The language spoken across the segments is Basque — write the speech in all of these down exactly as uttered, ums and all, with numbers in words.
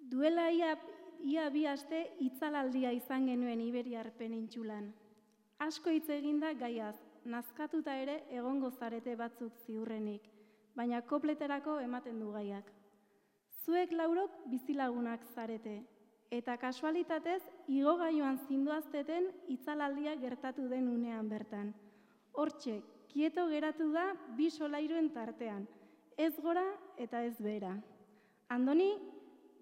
Duela ia, ia bi aste itzalaldia izan genuen Iberiar penintsulan. Asko hitz eginda gaiaz, nazkatuta ere egongo zarete batzuk ziurrenik, baina kopleterako ematen du gaiak. Zuek laurok bizilagunak zarete, eta kasualitatez igogailuan zindoazteten itzalaldia gertatu den unean bertan. Hortxe, kieto geratu da bi solairuen tartean, ez gora eta ez behera. Andoni,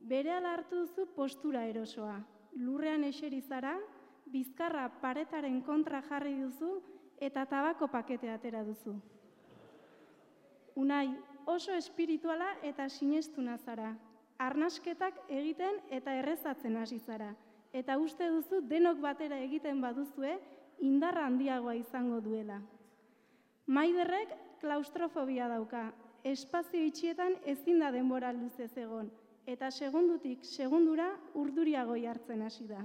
berehala hartu duzu postura erosoa, lurrean eseri zara, bizkarra paretaren kontra jarri duzu eta tabako pakete atera duzu. Unai, oso espirituala eta sinestuna zara. Arnasketak egiten eta errezatzen hasi zara. Eta uste duzu denok batera egiten baduzue indarra handiagoa izango duela. Maiderrek klaustrofobia dauka. Espazio itxietan ezin da denbora luzez egon. Eta segundutik segundura urduriago jartzen hasi da.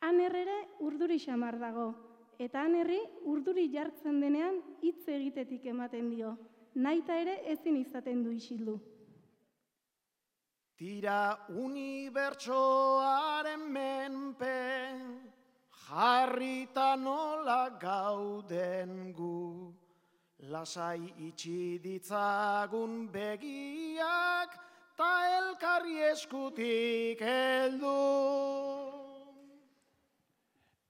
Aner ere urduri xamar dago. Eta anerri urduri jartzen denean hitz egitetik ematen dio. Naita ere ezin izaten du isildu. Tira unibertsoaren menpe, jarrita nola gauden gu. Lasai itxi ditzagun begiak, ta elkarri eskutik heldu.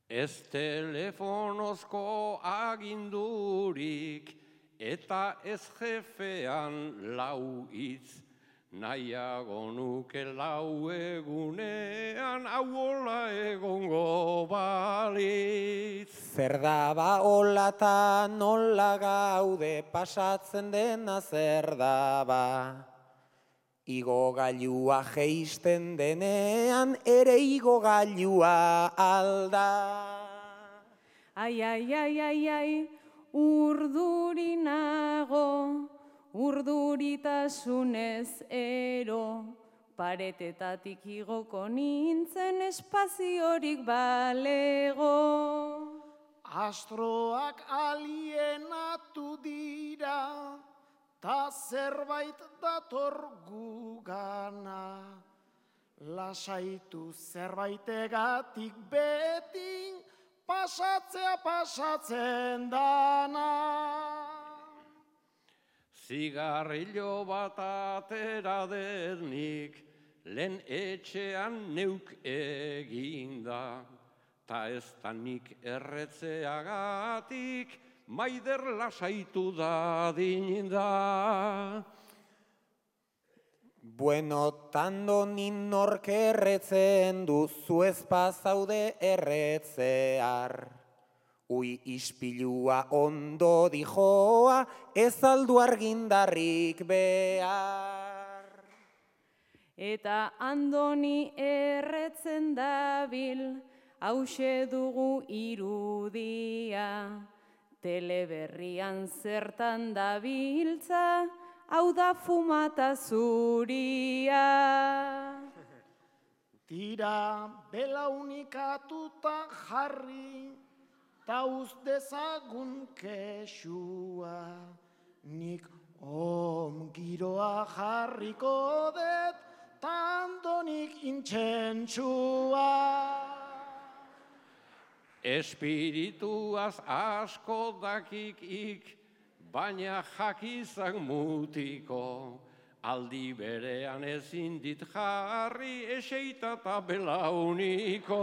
Ez telefonozko agindurik, eta ez jefean lau hitz, nahiago nuke lau egunean hauola egongo balitz. Zer da ba hola ta nola gaude pasatzen dena zer da ba. Igogailua jeisten denean ere igogailua alda. Ai, ai, ai, ai, ai, urduri nago, urduritasunez ero, paretetatik igoko nintzen espaziorik balego. Astroak alienatu dira, ta zerbait dator gugana. Lasaitu zerbaitegatik beti, pasatzea pasatzen dana. Zigarrillo bat atera dednik, lehen etxean neuk eginda, ta ez da nik erretzeagatik, maider lasaitu da dinda. Bueno, tando ninork erretzen duzu ezpazaude erretzear. Ui ispilua ondo dijoa, ez aldu argindarrik behar. Eta Andoni erretzen dabil, hause dugu irudia. Teleberrian zertan dabiltza, hau da fumata zuria. Tira belaunikatuta jarri, ta uz dezagun kexua, nik om giroa jarriko det, tandonik intxentsua. Espirituaz asko dakikik, baina jakizak mutiko, aldi berean ezin dit jarri eseita eta belauniko.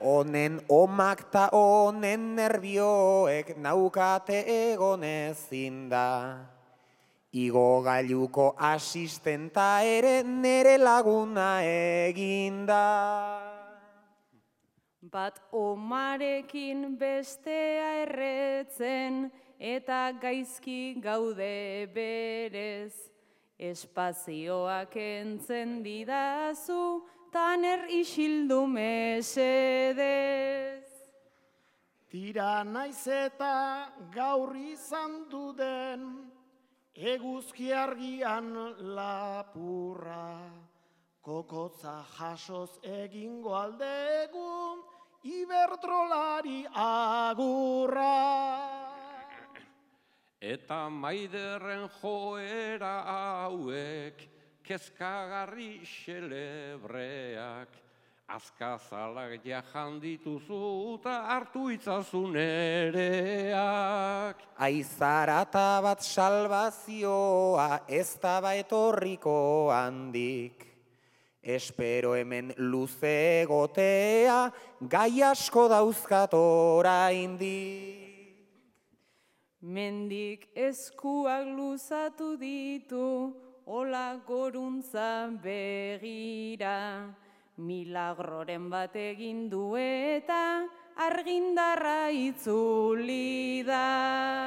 Honen omak ta honen nerbioek naukate egon ezin da. Igogailuko asistenta ere nere laguna eginda. Bat omarekin bestea erretzen eta gaizki gaude berez. Espazioak entzen didazu, taner isildu mesedez. Tira naiz eta gaur izan duden, eguzki argian lapurra. Kokotza jasoz egingo aldegu, Iberdrolari agurra. Eta maiderren joera hauek kezkagarri xelebreak, azkazalak jajan dituzu eta hartu itzazu nereak. Aizarata bat salvazioa ez daba etorriko handik. Espero hemen luze egotea, gai asko dauzkat oraindik. Mendik eskuak luzatu ditu, ola goruntza begira. Milagroren bat egin du eta argindarra itzuli da.